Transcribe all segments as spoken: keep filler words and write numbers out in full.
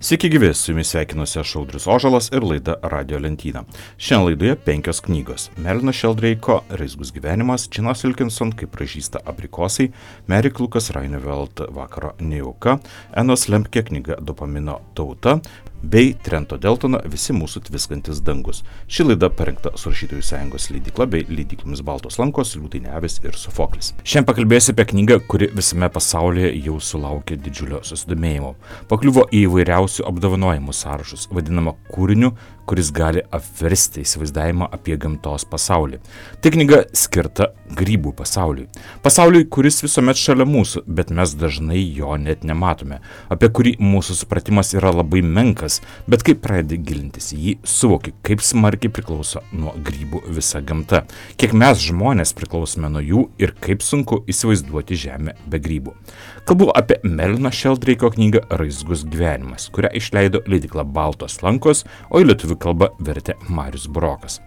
Sveiki gyvi, su jumis sveikinuosi aš Audrius Ožalas ir laida Radio lentyna. Šiandien laidoje penkios knygos. Melino Šeldreiko Raizgus gyvenimas, Džinas Wilkinson Kaip pražysta abrikosai, Mary Lucas Reineveld Vakaro nejauka, Enos Lempke knyga Dopamino tauta, bei Trento Deltono Visi mūsų tviskantis dangus. Ši laida parengta su Rašytojų sąjungos leidykla bei leidyklomis Baltos lankos, Liūtai ne avys ir Sofoklis. Šiandien pakalbėsiu apie knygą, kuri visame pasaulyje jau sulaukė didžiulio susidomėjimo. Pakliuvo į įvairiausių apdovanojimų sąrašus, vadinama kūriniu, kuris gali apversti įsivaizdavimą apie gamtos pasaulį. Tai knyga skirta grybų pasauliui. Pasauliui, kuris visuomet šalia mūsų, bet mes dažnai jo net nematome, apie kurį mūsų supratimas yra labai menkas, bet kai pradedi gilintis į jį, suvoki, kaip smarkiai priklauso nuo grybų visa gamta, kiek mes žmonės priklausome nuo jų ir kaip sunku įsivaizduoti žemę be grybų. Kalbu apie Melino Šeldreiko knygą Raizgus gyvenimas, kurią išleido leidykla Baltos lankos, o į lietuvių kalbą vertė Marius Burokas.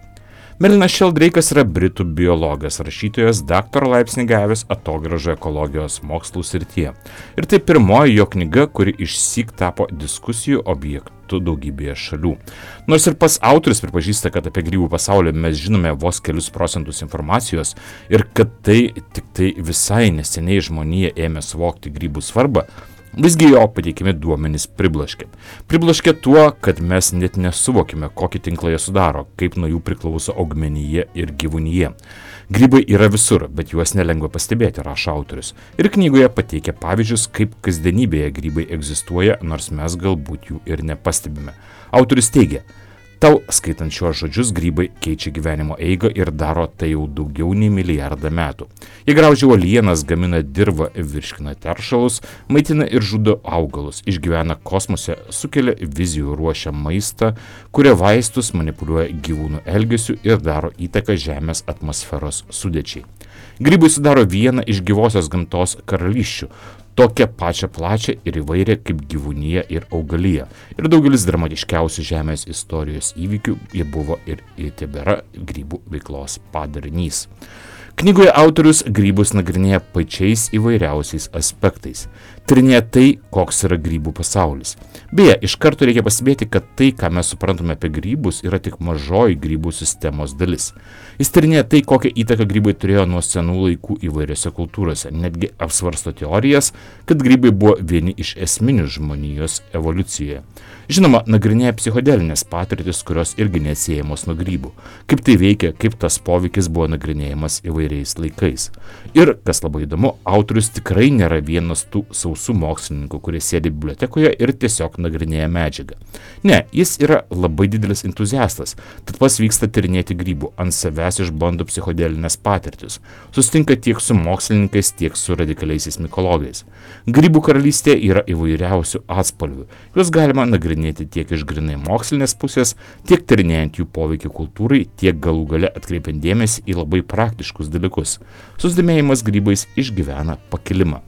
Melinas Šeldreikas yra britų biologas, rašytojas, daktaro laipsnį gavęs atogrąžų ekologijos mokslų srityje. Ir tai pirmoji jo knyga, kuri išsyk tapo diskusijų objektu daugybėje šalių. Nors ir pats autorius pripažįsta, kad apie grybų pasaulį mes žinome vos kelius procentus informacijos ir kad tai tik tai visai neseniai žmonija ėmė suvokti grybų svarbą, visgi jo pateikiami duomenys priblaškė. Priblaškė tuo, kad mes net nesuvokime, kokį tinklą jie sudaro, kaip nuo jų priklauso augmenija ir gyvūnija. Grybai yra visur, bet juos nelengva pastebėti, rašo autorius. Ir knygoje pateikia pavyzdžius, kaip kasdienybėje grybai egzistuoja, nors mes galbūt jų ir nepastebime. Autorius teigia, tau skaitant šiuos žodžius grybai keičia gyvenimo eigą ir daro tai jau daugiau nei milijardą metų. Jie graužia uolienas, gamina dirvą, virškina teršalus, maitina ir žudo augalus, išgyvena kosmose, sukelia vizijų, ruošia maistą, kuria vaistus, manipuliuoja gyvūnų elgesiu ir daro įtaką Žemės atmosferos sudėčiai. Grybai sudaro vieną iš gyvosios gamtos karalysčių, tokią pačią plačią ir įvairią kaip gyvūnija ir augalija. Ir daugelis dramatiškiausių Žemės istorijos įvykių jie buvo ir tebėra grybų veiklos padarinys. Knygoje autorius grybus nagrinėja pačiais įvairiausiais aspektais. Tyrinėja tai, koks yra grybų pasaulis. Beje, iš karto reikia pastebėti, kad tai, ką mes suprantame apie grybus, yra tik mažoji grybų sistemos dalis. Jis tyrinėja tai, kokią įtaką grybai turėjo nuo senų laikų įvairiose kultūrose. Netgi apsvarsto teorijas, kad grybai buvo vieni iš esminių žmonijos evoliucijoje. Žinoma, nagrinėja psichodelinės patirtis, kurios irgi neatsiejamos nuo grybų. Kaip tai veikia, kaip tas poveikis buvo nagrinėjamas įvairiais laikais. Ir, kas labai įdomu, autorius tikrai nėra vienas tų sausų mokslininkų, kurie sėdi bibliotekoje ir tiesiog nagrinėja medžiagą. Ne, jis yra labai didelis entuziastas, tad pas vyksta tyrinėti grybų, ant savęs išbando psichodelinės patirtis. Susitinka tiek su mokslininkais, tiek su radikaliaisiais mikologais. Grybų karalystė yra įvairiausių atspalvių. Juos galima nagrinėti tiek iš grynai mokslinės pusės, tiek tyrinėjant jų poveikį kultūrai, tiek galų gale atkreipiant dėmesį į labai praktiškus dalykus. Susidomėjimas grybais išgyvena pakilimą.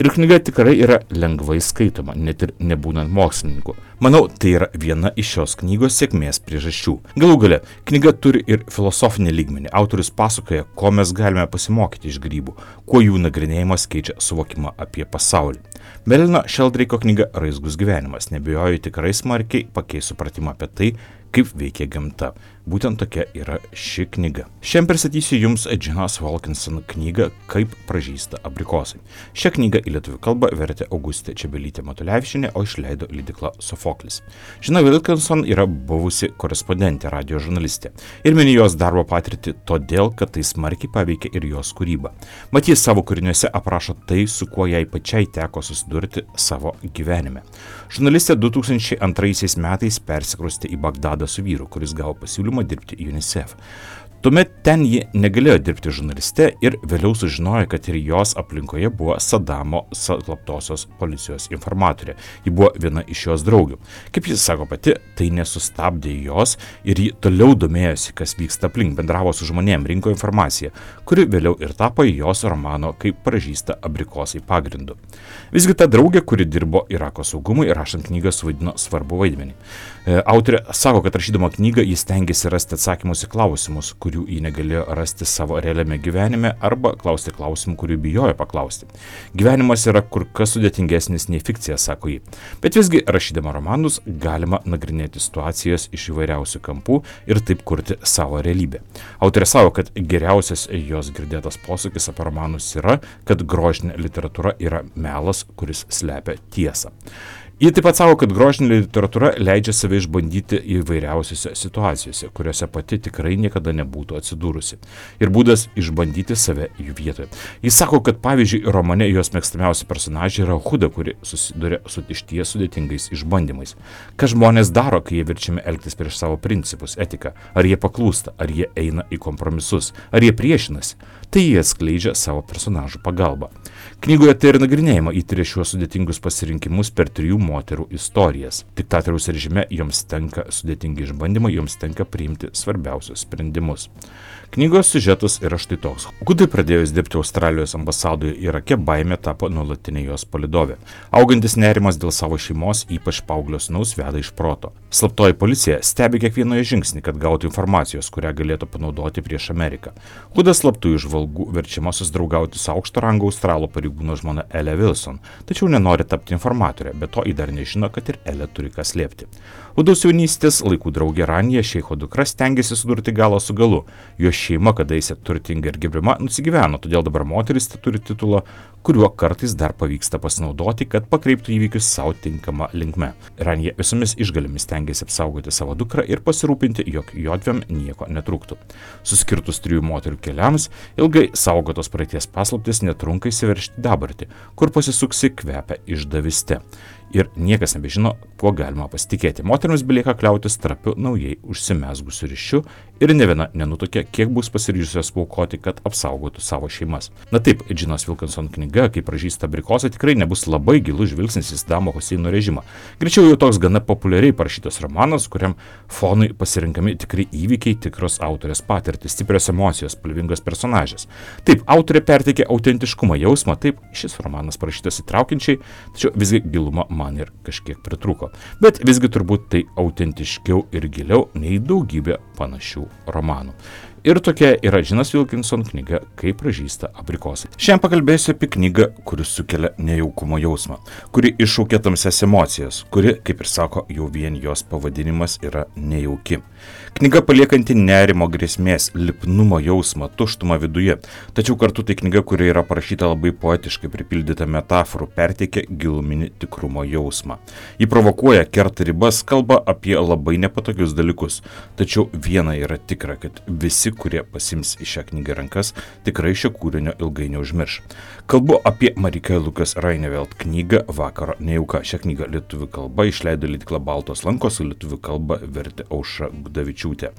Ir knyga tikrai yra lengvai skaitoma, net ir nebūnant mokslininku. Manau, tai yra viena iš šios knygos sėkmės priežasčių. Galų gale, knyga turi ir filosofinį lygmenį. Autorius pasakoja, ko mes galime pasimokyti iš grybų, kuo jų nagrinėjimas keičia suvokimą apie pasaulį. Melino Šeldreiko knyga Raizgus gyvenimas, nebijoju, tikrai smarkiai pakeis supratimą apie tai, kaip veikia gamta. Būtent tokia yra ši knyga. Šiandien pristatysiu jums Džinos Wilkinson knygą Kaip pražysta abrikosai. Šią knygą į lietuvių kalbą vertė Augustė Čebelytė Matulevičienė, o išleido leidykla Sofoklis. Džina Wilkinson yra buvusi korespondentė, radijo žurnalistė. Ir mini jos darbo patirtį todėl, kad tai smarkiai paveikia ir jos kūrybą. Mat, jis savo kūriniuose aprašo tai, su kuo jai pačiai teko susidurti savo gyvenime. Žurnalistė du tūkstančiai antraisiais metais persikraustė į Bagdadą su vyru, kuris gavo pasiūlymą dirbti UNICEF. Tuomet ten ji negalėjo dirbti žurnaliste ir vėliau sužinojo, kad ir jos aplinkoje buvo Sadamo slaptosios policijos informatorė. Ji buvo viena iš jos draugių. Kaip jis sako pati, tai nesustabdė jos ir ji toliau domėjosi, kas vyksta aplink, bendravo su žmonėm, rinko informaciją, kuri vėliau ir tapo jos romano Kaip pražysta abrikosai pagrindu. Visgi ta draugė, kuri dirbo Irako saugumui, rašant knygą suvaidino svarbu vaidmenį. Autorė sako, kad rašydama knygą jis stengiasi rasti atsakymus į klausimus, kurių ji negalėjo rasti savo realiame gyvenime, arba klausti klausimų, kurių bijojo paklausti. Gyvenimas yra kur kas sudėtingesnis nei fikcija, sako ji. Bet visgi, rašydama romanus, galima nagrinėti situacijas iš įvairiausių kampų ir taip kurti savo realybę. Autorė savo, kad geriausias jos girdėtas posakis apie romanus yra, kad grožinė literatūra yra melas, kuris slepia tiesą. Ji taip pat savo, kad grožinė literatūra leidžia save išbandyti įvairiausiose situacijose, kuriuose pati tikrai niekada nebūtų atsidūrusi. Ir būdas išbandyti save jų vietoje. Jis sako, kad pavyzdžiui, romane jos mėgstamiausi personažai yra Huda, kuri susiduria su išties sudėtingais išbandymais. Ką žmonės daro, kai jie verčiami elgtis prieš savo principus, etiką? Ar jie paklūsta, ar jie eina į kompromisus, ar jie priešinasi? Tai jie atskleidžia savo personažų pagalbą. Knygoje tai ir nagrinėjama, įtiria šiuos sudėtingus pasirinkimus per trijų moterų istorijas. Diktatoriaus režime joms tenka sudėtingi išbandymai, joms tenka priimti svarbiausius sprendimus. Knygos siužetas yra štai toks. Hudai pradėjus dirbti Australijos ambasadoje Irake, baimė tapo nuolatinė jos palydovė. Augantis nerimas dėl savo šeimos, ypač paauglio sūnaus, veda iš proto. Slaptoji policija stebi kiekvienoje žingsnį, kad gautų informacijos, kurią galėtų panaudoti prieš Ameriką. Huda slaptųjų žvalgų verčiama susidraugauti su aukšto rango australo pareigūno žmona Elė Wilson, tačiau nenori tapti informatorė, bet to ji dar nežino, kad ir Elė turi ką slėpti. Hudos jaunystės laikų draugė Ranija, šeicho dukra, stengiasi sudurti galą su galu. Jo šeima, kadaise turtinga ir gerbima, nusigyveno, todėl dabar moteris turi titulą, kuriuo kartais dar pavyksta pasinaudoti, kad pakreiptų įvykius savo tinkamą linkme. Ranija visomis išgalėmis stengiasi apsaugoti savo dukrą ir pasirūpinti, jog jodvėm nieko netrūktų. Suskirtus trijų moterių keliams, ilgai saugotos praeities paslaptis netrunka įsiveržti dabartį, kur pasisuksi kvepia išdavyste. Ir niekas nebežino, kuo galima pasitikėti. Moteriams belieka kliautis trapiu naujai užsimezgusiu ryšiu ir ne viena nenutuokia, kiek bus pasiryžusios paukoti, kad apsaugotų savo šeimas. Na taip, Džinos Wilkinson knyga, kaip pražįsta abrikosai, tikrai nebus labai gilus žvilgsnis į Sadamo Huseino režimą. Greičiau jau toks gana populiariai parašytas romanas, kuriam fonui pasirinkami tikri įvykiai, tikros autorės patirtis, stiprios emocijos, spalvingos personažės. Taip, autorė perteikia autentiškumo jausmą, taip, šis romanas parašytas įtraukiančiai, tačiau visgi gilumą man ir kažkiek pritrūko. Bet visgi turbūt tai autentiškiau ir giliau nei daugybė panašių romanų. Ir tokia yra Džinos Wilkinson knyga Kaip pražysta abrikosai. Šiandien pakalbėsiu apie knygą, kuri sukelia nejaukumo jausmą, kuri iššaukia tamsias emocijas, kuri, kaip ir sako, jau vien jos pavadinimas yra nejauki. Knyga paliekanti nerimo, grėsmės, lipnumo jausmą, tuštumą viduje, tačiau kartu tai knyga, kuri yra parašyta labai poetiškai, pripildyta metaforų, perteikia giluminį tikrumo jausmą. Ji provokuoja, kerta ribas, kalba apie labai nepatogius dalykus, tačiau viena yra tikra, kad visi, kurie pasims į šią knygą rankas, tikrai šio kūrinio ilgai neužmirš. Kalbu apie Marika Lukas Rainevelt knygą Vakaro nejauka. Šią knygą lietuvių kalba išleido leidykla Baltos lankos, lietuvių kalba vertė Aušra Gudavičiūtė.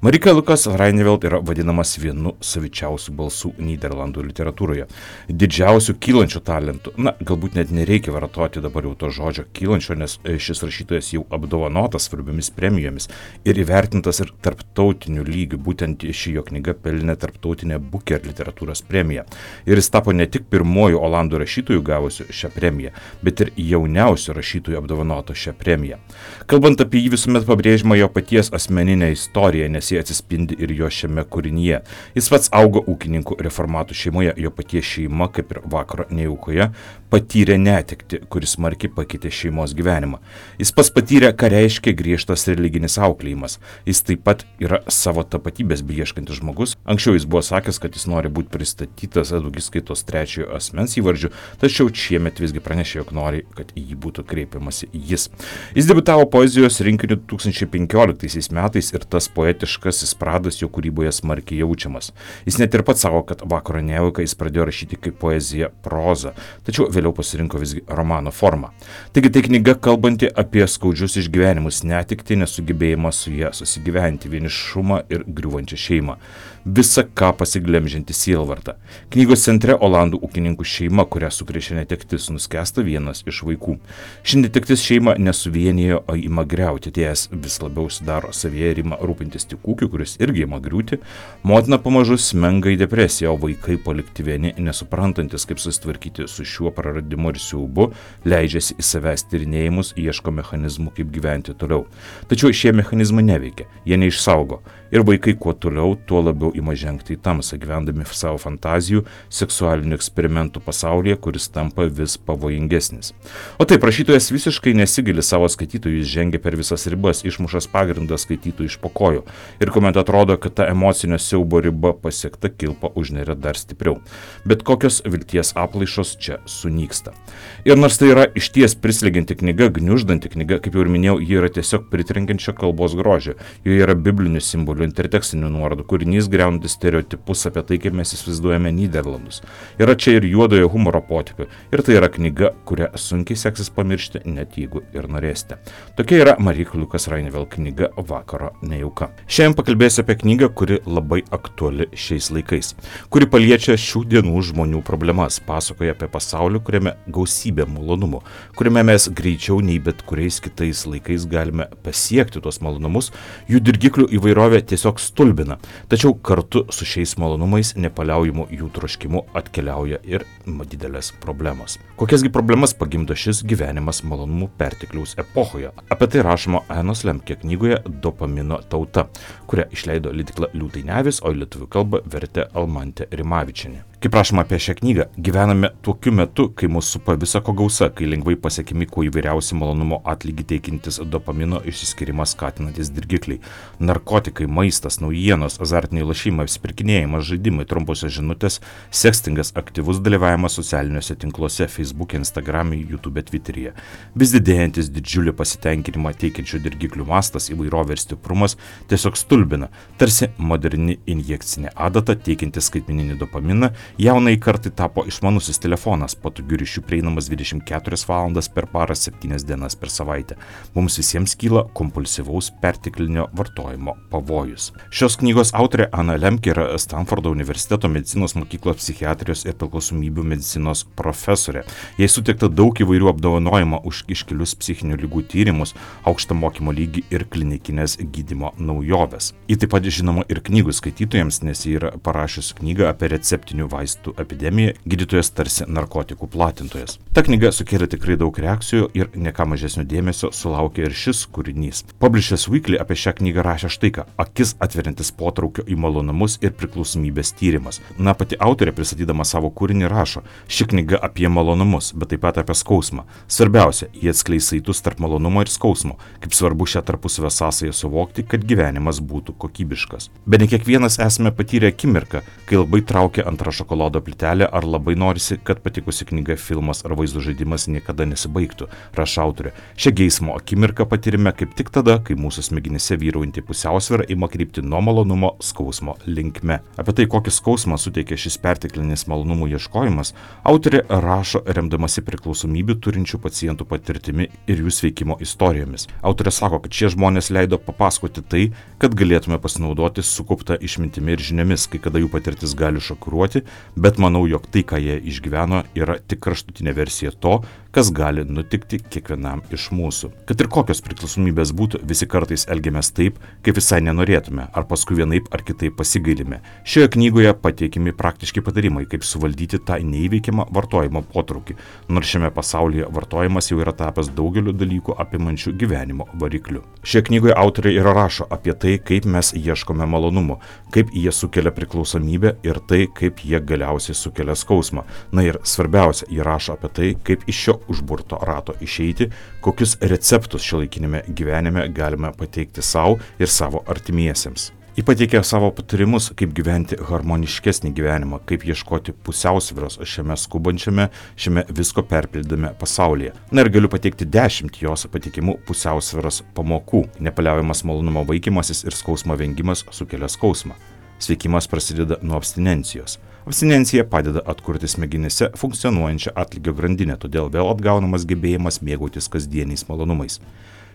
Marika Lukas Rainevelt yra vadinamas vienu savičiausių balsų Nyderlandų literatūroje. Didžiausių kylančių talentų. Na, galbūt net nereikia vartoti dabar jau to žodžio kylančio, nes šis rašytojas jau apdovanotas svarbiomis premijomis ir įvertintas ir tarptautiniu lygiu. Būtent ši jo knyga pelnė tarptautinę Booker literatūros premiją. Ir jis tapo ne tik pirmoju olandų rašytojų gavusiu šią premiją, bet ir jauniausiu rašytojų apdovanoto šią premiją. Kalbant apie jį, visuomet pabrėžiama jo paties asmeninė istorija, nes jie atsispindi ir jo šiame kūrinyje. Jis pats augo ūkininkų reformatų šeimoje, jo paties šeima, kaip ir Vakaro nejaukoje, patyrė netekti, kuris smarkiai pakeitė šeimos gyvenimą. Jis pats patyrė, ką reiškia griežtas religinis auklėjimas. Jis taip pat yra savo tapatybės beieškantis žmogus. Anksčiau jis buvo sakęs, kad jis nori būti pristatytas daugiskaitos trečiojo asmens įvardžiu, tačiau šiemet visgi pranešė, jog nori, kad į jį būtų kreipiamasi jis. Jis debiutavo poezijos rinkiniu du tūkstančiai penkioliktaisiais metais ir tas poetiškasis pradas jo kūryboje smarkiai jaučiamas. Jis net ir pats sako, kad Vakaro nejauką jis pradėjo rašyti kaip poeziją prozą, tačiau vėliau pasirinko visgi romano formą. Taigi tai knyga kalbanti apie skaudžius išgyvenimus, netekti, nesugebėjimą su ją susigyventi, vienišumą ir griūvančią šeimą. Visa ką pasiglemžianti sielvartą. Knygos centre olandų ūkininkų šeima, kurią sukrėšė netektis, nuskęsta vienas iš vaikų. Ši netektis šeima nesuvienijo, o ima griauti, ties vis labiau sudaro savyje ir ima rūpintis tik ūkiu, kuris irgi ima griūti, motina pamažu smenga į depresiją, o vaikai palikti vieni, nesuprantantis, kaip susitvarkyti su šiuo praradimu ir siaubu, leidžiasi į savęs tyrinėjimus, ieško mechanizmų, kaip gyventi toliau. Tačiau šie mechanizmai neveikia, jie neišsaugo. Ir vaikai kuo toliau, tuo labiau ima žengti į tamsą, gyvendami savo fantazijų, seksualinių eksperimentų pasaulyje, kuris tampa vis pavojingesnis. O taip, rašytojas visiškai nesigili savo skaitytojų, jis žengia per visas ribas, išmušas pagrindą skaitytojų iš po kojų. Ir kuomet atrodo, kad ta emocinio siaubo riba pasiekta, kilpa užneria dar stipriau. Bet kokios vilties aplaišos čia sunyksta. Ir nors tai yra išties prislegianti knyga, gniuždanti knyga, kaip jau ir minėjau, ji yra tiesiog pritrenkiančia kalbos grožio. Joje yra biblinių simbolių, intertekstinių nuorodų, kūrinys griaunantis stereotipus apie tai, kaip mes įsivaizduojame Nyderlandus. Yra čia ir juodojo humoro potipių. Ir tai yra knyga, kurią sunkiai seksis pamiršti, net jeigu ir norėsite. Tokia yra Marijos Liukas Rainevel knyga Vakaro nejauka. Šiandien pakalbėsiu apie knygą, kuri labai aktuali šiais laikais, kuri paliečia šių dienų žmonių problemas, pasakoja apie pasaulį, kuriame gausybė malonumų, kuriame mes greičiau nei bet kuriais kitais laikais galime pasiekti tuos malonumus, jų dirgiklių įvairovė tiesiog stulbina, tačiau kartu su šiais malonumais nepaliaujamu jų troškimu atkeliauja ir didelės problemos. Kokiasgi problemas pagimdo šis gyvenimas malonumų pertekliaus epochoje? Apie tai rašoma Anos Lemke knygoje Dopamino tauta, kurią išleido leidykla Liūtai ne avys, o į lietuvių kalbą vertė Almantė Rimavičienė. Kaip rašoma apie šią knygą, gyvename tokiu metu, kai mūsų supa visa ko gausa, kai lengvai pasiekimi kuo įvairiausi malonumo atlygį teikintis dopamino išsiskyrimą skatinantis dirgikliai, narkotikai, maistas, naujienos, azartiniai lošimai, apsipirkinėjimas, žaidimai, trumposios žinutės, sekstingas, aktyvus dalyvavimas socialiniuose tinkluose, Facebook'e, Instagram'e, YouTube'e, Twitter'e. Vis didėjantis didžiulį pasitenkinimą teikiančių dirgiklių mastas, įvairovė ir stiprumas tiesiog stulbina, tarsi moderni injekcinė adata teikianti skaitmeninį dopaminą. Jaunai kartai tapo išmanusis telefonas, patogių ryšių prieinamas dvidešimt keturias valandas per parą, septynias dienas per savaitę. Mums visiems kyla kompulsyvaus perteklinio vartojimo pavojus. Šios knygos autorė Ana Lemke yra Stanfordo universiteto medicinos mokyklos psichiatrijos ir priklausomybių medicinos profesorė. Jai suteikta daug įvairių apdovanojimų už iškilius psichinių ligų tyrimus, aukštą mokymo lygį ir klinikinės gydymo naujoves. Ji taip pat žinoma ir knygų skaitytojams, nes ji yra parašiusi knygą apie receptinių vaistų epidemiją, gydytojas tarsi narkotikų platintojas. Ta knyga sukėlė tikrai daug reakcijų ir ne ką mažesnio dėmesio sulaukė ir šis kūrinys. Publishers Weekly apie šią knygą rašė štai ką: akis atveriantis potraukio į malonumus ir priklausomybės tyrimas. Na, pati autorė pristatydama savo kūrinį rašo: ši knyga apie malonumus, bet taip pat apie skausmą. Svarbiausia, jie atskleis saitus tarp malonumo ir skausmo, kaip svarbu šią tarpusavio sąsają suvokti, kad gyvenimas būtų kokybiškas. Bet ne kiekvienas esame patyrę akimirką, kai labai traukia antra šokolado plytelė ar labai norisi, kad patikusi knyga, filmas ar vaizdo žaidimas niekada nesibaigtų, rašo autorė. Šią geismo akimirką patirime kaip tik tada, kai mūsų smegenyse vyraujanti pusiausvyrą ima krypti nuo malonumo skausmo linkme. Apie tai, kokį skausmą suteikia šis perteklinis malonumų ieškojimas, autorė rašo remdamasi priklausomybių turinčių pacientų patirtimi ir jų sveikimo istorijomis. Autorė sako, kad šie žmonės leido papasakoti tai, kad galėtume pasinaudoti sukauptą išmintimi ir žiniomis, kai kada jų patirtis gali šokiruoti, bet manau, jog tai, ką jie išgyveno, yra tik kraštutinė versija to, kas gali nutikti kiekvienam iš mūsų. Kad ir kokios priklausomybės būtų, visi kartais elgiamės taip, kaip visai nenorėtume, ar paskui vienaip ar kitaip pasigailime. Šioje knygoje pateikiami praktiški patarimai, kaip suvaldyti tą neįveikiamą vartojimo potraukį, nors šiame pasaulyje vartojimas jau yra tapęs daugeliu dalykų apimančių gyvenimo varikliu. Šioje knygoje autorė ir rašo apie tai, kaip mes ieškome malonumų, kaip jie sukelia priklausomybę ir tai, kaip jie galiausiai sukelia skausmą. Na ir svarbiausia, jie rašo apie tai, kaip iš šio užburto rato išeiti, kokius receptus šiuolaikinėme gyvenime galime pateikti savo ir savo artimiesiems. Ji pateikė savo patarimus, kaip gyventi harmoniškesnį gyvenimą, kaip ieškoti pusiausvyros šiame skubančiame, šiame visko perpildame pasaulyje. Na ir galiu pateikti dešimt jos patikimų pusiausvyros pamokų. Nepaliaujamas malonumo vaikymasis ir skausmo vengimas sukelia skausmą. Sveikimas prasideda nuo abstinencijos. Abstinencija padeda atkurti smegenyse funkcionuojančią atlygio grandinę, todėl vėl atgaunamas gebėjimas mėgautis kasdieniais malonumais.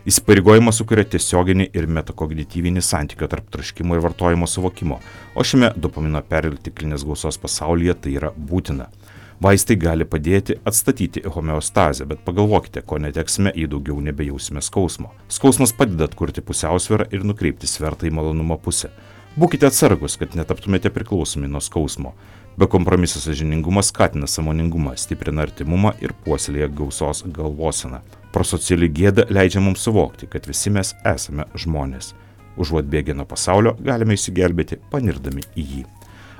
Įsipareigojimas sukuria tiesioginį ir metakognityvinį santykio tarp troškimo ir vartojimo suvokimo, o šiame dopamino perteklinės gausos pasaulyje tai yra būtina. Vaistai gali padėti atstatyti homeostazę, bet pagalvokite, ko neteksime, jei daugiau nebejausime skausmo. Skausmas padeda atkurti pusiausvyrą ir nukreipti svertą į malonumo pusę. Būkite atsargus, kad netaptumėte priklausomi nuo skausmo. Bekompromisas sąžiningumas skatina sąmoningumą, stiprina artimumą ir puoselėja gausos galvoseną. Prosociali gėda leidžia mums suvokti, kad visi mes esame žmonės. Užuot bėgę nuo pasaulio, galime išsigelbėti panirdami į jį.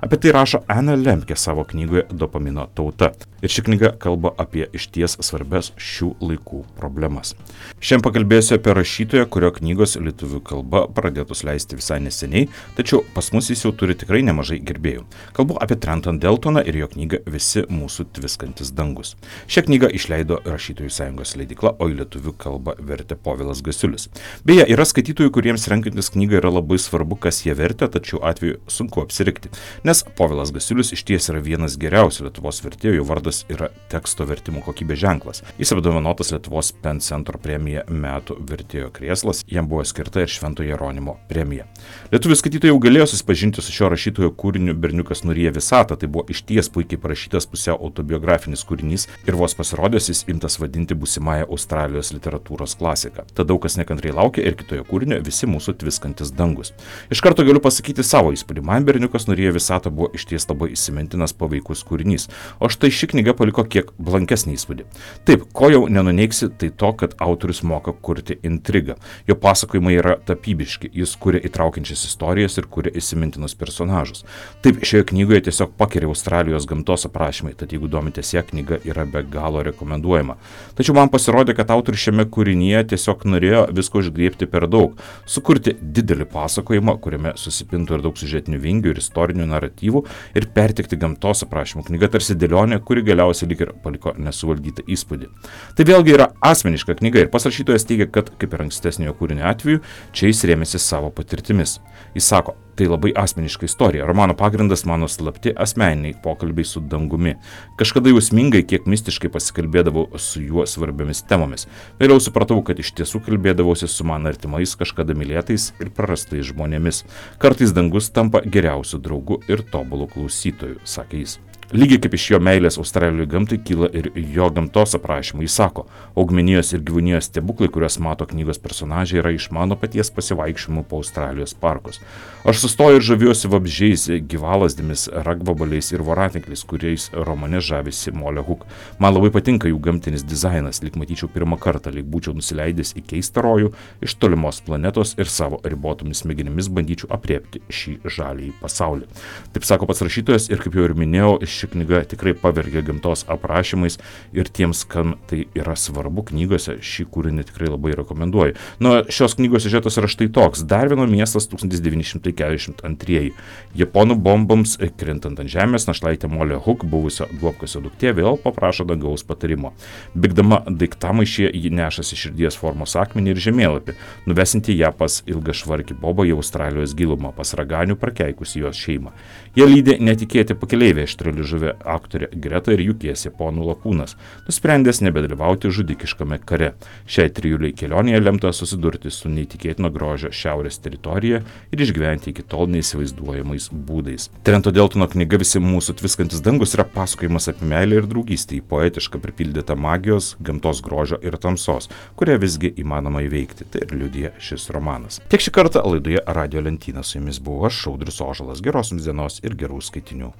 Apie tai rašo Ana Lemke savo knygoje Dopamino tauta. Ir ši knyga kalba apie išties svarbes šių laikų problemas. Šiandien pakalbėsiu apie rašytoją, kurio knygos lietuvių kalba pradėtos leisti visai neseniai, tačiau pas mus jis jau turi tikrai nemažai gerbėjų. Kalbu apie Trenton Deltoną ir jo knygą Visi mūsų tviskantis dangus. Šią knygą išleido Rašytojų sąjungos leidykla, o į lietuvių kalbą vertė Povilas Gasiulis. Beje, yra skaitytojų, kuriems renkantis knygą yra labai svarbu, kas jie vertė, tačiau atveju sunku apsirikti. Nes Povilas Gasiulis išties yra vienas geriausių Lietuvos vertėjų, jo vardas yra teksto vertimo kokybės ženklas. Jis apdovanotas Lietuvos Pen Centro premija Metų vertėjo krėslas, jam buvo skirta ir Švento Jeronimo premija. Lietuvių skaitytojai jau galėjo susipažinti su šio rašytojo kūriniu Berniukas nuryja visatą, tai buvo išties puikiai parašytas pusiau autobiografinis kūrinys ir vos pasirodęs jis imtas vadinti būsimąją Australijos literatūros klasiką. Tad daug kas nekantriai laukia ir kitoje kūrinio Visi mūsų tviskantis dangus. Iš karto galiu pasakyti savo įspūdį, man Berniukas nuryja visatą buvo išties labai įsimintinas paveikus kūrinys, o štai ši knyga paliko kiek blankesnį įspūdį. Taip, ko jau nenuneiksi, tai to, kad autorius moka kurti intrigą. Jo pasakojimai yra tapybiški, jis kuria įtraukiančias istorijas ir kuria įsimintinus personažus. Taip, šioje knygoje tiesiog pakeria Australijos gamtos aprašymai, tad jeigu domitės, ją knyga yra be galo rekomenduojama. Tačiau man pasirodė, kad autorius šiame kūrinyje tiesiog norėjo visko išgriebti per daug, sukurti didelį pasakojimą, kuriame susipintų ir daug siužetinių vingių ir istorinių naratyvų ir perteikti gamtos aprašymų. Knyga tarsi dėlionė, kuri galiausiai lyg ir paliko nesuvaldytą įspūdį. Tai vėlgi yra asmeniška knyga ir pats rašytojas teigia, kad kaip ir ankstesniojo kūrinio atveju, čia jis rėmėsi savo patirtimis. Jis sako, tai labai asmeniška istorija. Romano pagrindas mano slapti asmeniniai pokalbiai su dangumi. Kažkada jausmingai, kiek mistiškai pasikalbėdavau su juo svarbiomis temomis. Vėliau supratau, kad iš tiesų kalbėdavausi su man artimais, kažkada mylėtais ir prarastais žmonėmis. Kartais dangus tampa geriausiu draugu ir tobulu klausytoju, sakė jis. Lygiai kaip iš jo meilės Australijai gamtai kyla ir jo gamtos aprašymai. Jis sako, augmenijos ir gyvūnijos stebuklai, kuriuos mato knygos personažai, yra iš mano paties pasivaikščiojimų po Australijos parkus. Aš sustoju ir žaviuosi vabzdžiais, gyvalasdėmis, ragvabaliais ir voratinkliais, kuriais romane žavisi Molly Hook. Man labai patinka jų gamtinis dizainas, lyg matyčiau pirmą kartą, lyg būčiau nusileidęs į keistą rojų iš tolimos planetos ir savo ribotomis smegenimis bandyčiau apriepti šį žalį pasaulį. Taip sako pats rašytojas ir kaip jau ir minėjau, ši knyga tikrai pavergia gamtos aprašymais ir tiems, kam tai yra svarbu knygose, šį kūrinį tikrai labai rekomenduoju. Nuo šios knygos siužetas yra štai toks. Darvino miestas tūkstantis devyni šimtai keturiasdešimt antrieji. Japonų bomboms krintant ant žemės, našlaitė Molly Hook, buvusio duobkasio duktė, vėl paprašo dangaus patarimo. Bėgdama daiktamaišyje, ji nešasi širdies formos akmenį ir žemėlapį, nuvesinti ją pas ilgašvarkį Bobą į Australijos gilumą, pas raganių prakeikusi jos šeimą. Jie lydė netikėti pakeleiviai aštrali žuvę aktorė Greta ir jų tiesė ponų lakūnas, nusprendęs nebedalyvauti žudikiškame kare. Šiai trijuliai kelionėje lemta susidurti su neįtikėtino grožio šiaurės teritorija ir išgyventi iki tol neįsivaizduojamais būdais. Trento Deltono knyga Visi mūsų tviskantis dangus yra pasakojimas apie meilę ir draugystę, į poetišką pripildytą magijos, gamtos grožio ir tamsos, kurią visgi įmanoma įveikti. Tai ir liudija šis romanas. Tiek šį kartą laidoje Radijo lentyna. Su jumis buvau aš, Audrius Ožalas. Geros jums dienos ir gerų skaitinių.